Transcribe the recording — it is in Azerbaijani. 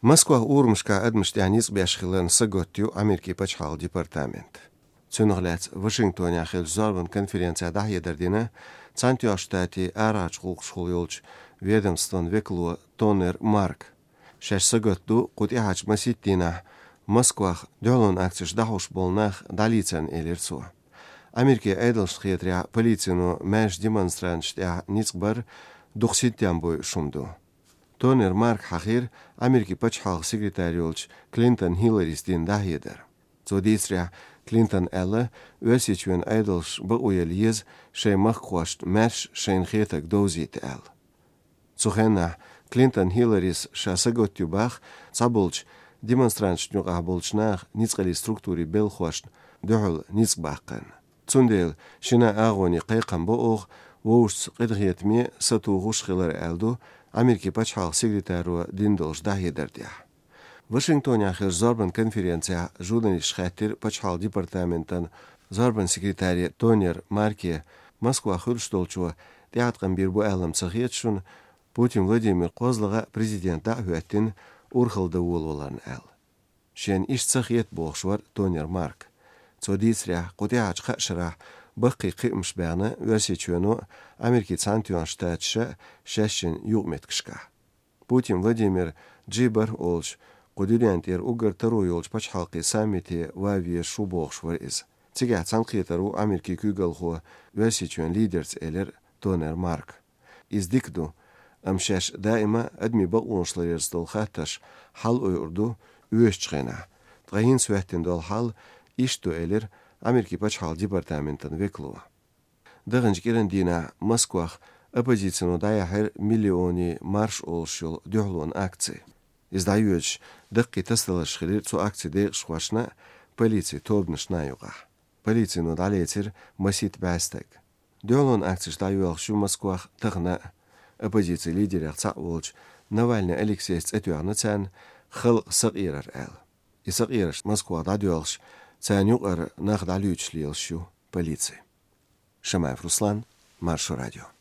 Москва урмшка адмштяниц бяшхилен саготтю Америки пачхал департамент. Цюнглец Вашингтоне ахил зорбан конференция дахедердина цантю штати арач хулшхулюлч ведомствон веклу Тонер Марк. Шеш саготту кутихач маситтина Москва дёлон акциш дахуш болнах далицен элерцу. Америки эйдлшхетря полицину мэш демонстрантштя ницбар духситтямбой шумду. Тонер Марк хахир Америки пачхал секретарюлч Клинтон Хилларистин дахедер. Цодисря Клинтон Элла өсичвен эйдлш бауелиез шеймах квашт мэш шейнхетак дозит эл. Цухена Клинтон Хилларис шасаготтюбах цабулч демонстрантштнюга булчнах ницкали структури белхвашт дөхл ницбахкан. Цундел шина агони қайқан боуғ воуш қидғиетме сатуғуш хилар әлду Америки пачхал секретару диндолж дахедердя. Вашингтоне ахир зорбан конференция журналист хаттер пачхал департаментан зорбан секретари Тонер Марке Москва хурштолчу театран бирбу әлім цахетшун Путин Владимир Козлыға президентта үәттен урхылды уололарын әл. Шен иш цахет боғшвар Тонер Марк. Цодисря қутиач қашыра баққи қимш бәні версичуэну Америки цантюан штатша шәшін юғметкішка. Путин Владимир Джибар олч қудилянтер угар тару олч пачхалқи саммити вавие шубоғшвар из. Цига цанқитару Америки күгалху версичуэн лидерц элер Тонер Марк. Издикду أمشاش دائما أدمي بقونش ليرستول خاتش حل أيردو üyeçğena. Tğahin sühtin dol hal iştu elir Ameriki paçhal departamentin vekluva. Dağınç gerendina Moskva opozitsiyonu dayahir milyoni marş olşul döhlun akci. İzdayuç dıqqi tastalışxilir cu akci deyqşvaşna polisi tobnışna yuğa. Polisiyonu daletir masit bastak. Döhlun akciş dayuaqşu Moskva tığna оппозиция лидеры Цаулч Навальный Алексей Цетюарны цан хыл сагирар эл. И сагираш Москва дадюалш цанюqar нах далючлиелшу полиции. Шамаев Руслан, Маршу радио.